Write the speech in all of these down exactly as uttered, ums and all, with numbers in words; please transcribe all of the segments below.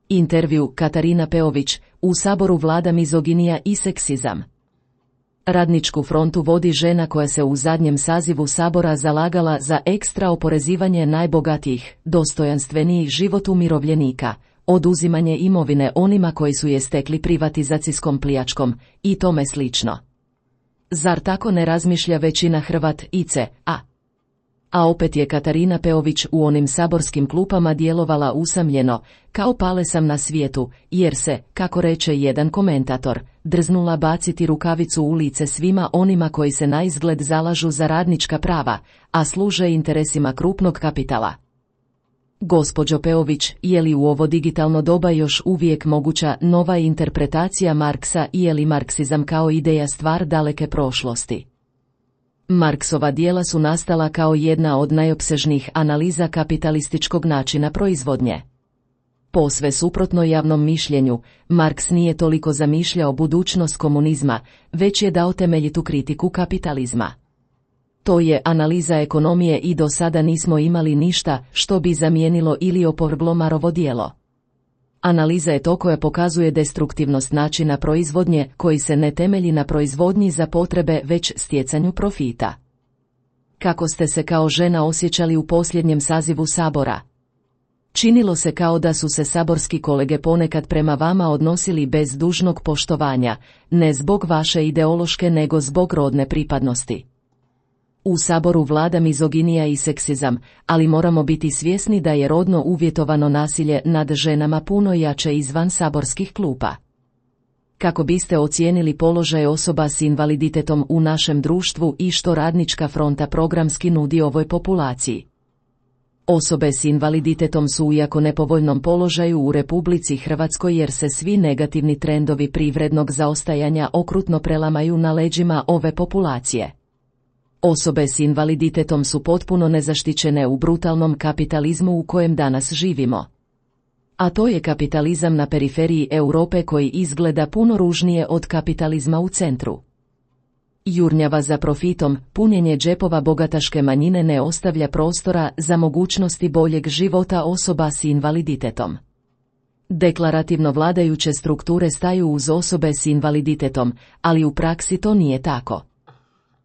Intervju Katarina Peović, u Saboru vlada mizoginija i seksizam. Radničku frontu vodi žena koja se u zadnjem sazivu Sabora zalagala za ekstra oporezivanje najbogatijih, dostojanstveniji život umirovljenika, oduzimanje imovine onima koji su je stekli privatizacijskom pljačkom i tome slično. Zar tako ne razmišlja većina Hrvat-ice, a? A opet je Katarina Peović u onim saborskim klupama djelovala usamljeno, kao pale sam na svijetu, jer se, kako reče jedan komentator, drznula baciti rukavicu u lice svima onima koji se naizgled zalažu za radnička prava, a služe interesima krupnog kapitala. Gospođo Peović, je li u ovo digitalno doba još uvijek moguća nova interpretacija Marksa i je li marksizam kao ideja stvar daleke prošlosti? Marksova djela su nastala kao jedna od najopsežnijih analiza kapitalističkog načina proizvodnje. Posve suprotno javnom mišljenju, Marks nije toliko zamišljao budućnost komunizma, već je dao temeljitu kritiku kapitalizma. To je analiza ekonomije i do sada nismo imali ništa što bi zamijenilo ili opovrglo Marovo djelo. Analiza je to koja pokazuje destruktivnost načina proizvodnje koji se ne temelji na proizvodnji za potrebe već stjecanju profita. Kako ste se kao žena osjećali u posljednjem sazivu Sabora? Činilo se kao da su se saborski kolege ponekad prema vama odnosili bez dužnog poštovanja, ne zbog vaše ideološke nego zbog rodne pripadnosti. U Saboru vlada mizoginija i seksizam, ali moramo biti svjesni da je rodno uvjetovano nasilje nad ženama puno jače izvan saborskih klupa. Kako biste ocijenili položaj osoba s invaliditetom u našem društvu i što Radnička fronta programski nudi ovoj populaciji? Osobe s invaliditetom su u jako nepovoljnom položaju u Republici Hrvatskoj jer se svi negativni trendovi privrednog zaostajanja okrutno prelamaju na leđima ove populacije. Osobe s invaliditetom su potpuno nezaštićene u brutalnom kapitalizmu u kojem danas živimo. A to je kapitalizam na periferiji Europe koji izgleda puno ružnije od kapitalizma u centru. Jurnjava za profitom, punjenje džepova bogataške manjine ne ostavlja prostora za mogućnosti boljeg života osoba s invaliditetom. Deklarativno vladajuće strukture staju uz osobe s invaliditetom, ali u praksi to nije tako.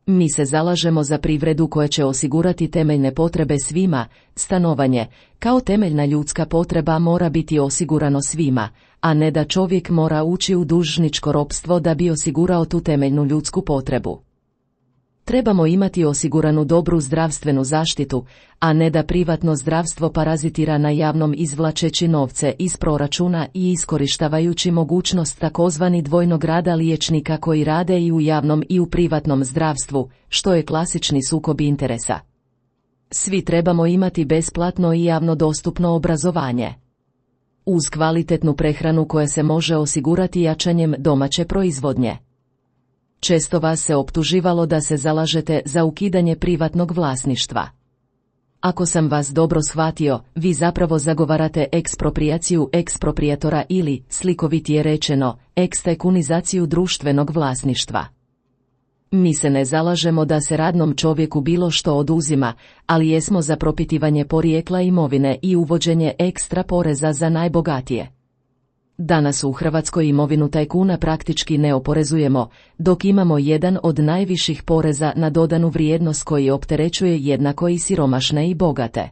Mi se zalažemo za privredu koja će osigurati temeljne potrebe svima, stanovanje, kao temeljna ljudska potreba mora biti osigurano svima, a ne da čovjek mora ući u dužničko ropstvo da bi osigurao tu temeljnu ljudsku potrebu. Trebamo imati osiguranu dobru zdravstvenu zaštitu, a ne da privatno zdravstvo parazitira na javnom izvlačeći novce iz proračuna i iskorištavajući mogućnost takozvani dvojnog rada liječnika koji rade i u javnom i u privatnom zdravstvu, što je klasični sukob interesa. Svi trebamo imati besplatno i javno dostupno obrazovanje. Uz kvalitetnu prehranu koja se može osigurati jačanjem domaće proizvodnje. Često vas se optuživalo da se zalažete za ukidanje privatnog vlasništva. Ako sam vas dobro shvatio, vi zapravo zagovarate eksproprijaciju eksproprijatora ili, slikovitije rečeno, ekstajkunizaciju društvenog vlasništva. Mi se ne zalažemo da se radnom čovjeku bilo što oduzima, ali jesmo za propitivanje porijekla imovine i uvođenje ekstra poreza za najbogatije. Danas u Hrvatskoj imovinu tajkuna praktički ne oporezujemo, dok imamo jedan od najviših poreza na dodanu vrijednost koji opterećuje jednako i siromašne i bogate.